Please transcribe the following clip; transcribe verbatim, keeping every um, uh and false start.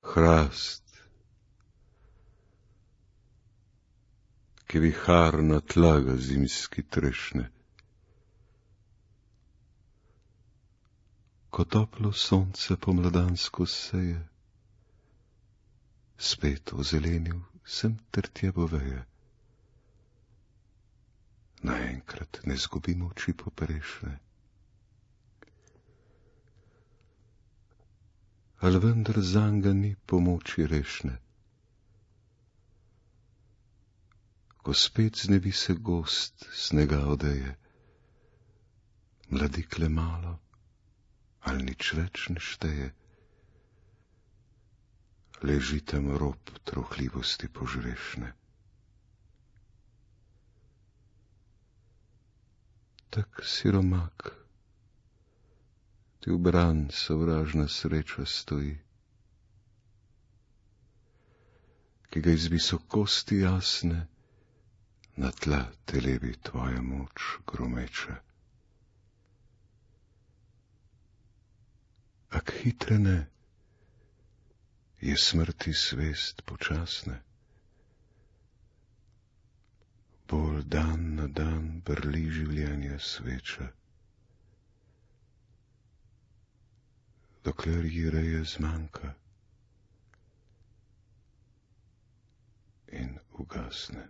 Hrast, ki viharna tlaga zimski trešne, ko toplo sonce pomladansko seje, spet ozelenil sem ter tje boveje. Naenkrat ne zgubim oči poprešne, al vendar zanga ni pomoči rešne. Ko spet znevi se gost snega odeje, mladikle malo, al nič več ne šteje, leži tam rob trohljivosti požrešne. Tak siromak, ti v bran sovražna sreča stoji, ki ga iz visokosti jasne na tla telebi tvoja moč gromeča. Ak hitre ne, je smrti svest počasne, bolj dan na dan brli življenja sveča, dokler ji reje zmanjka in ugasne.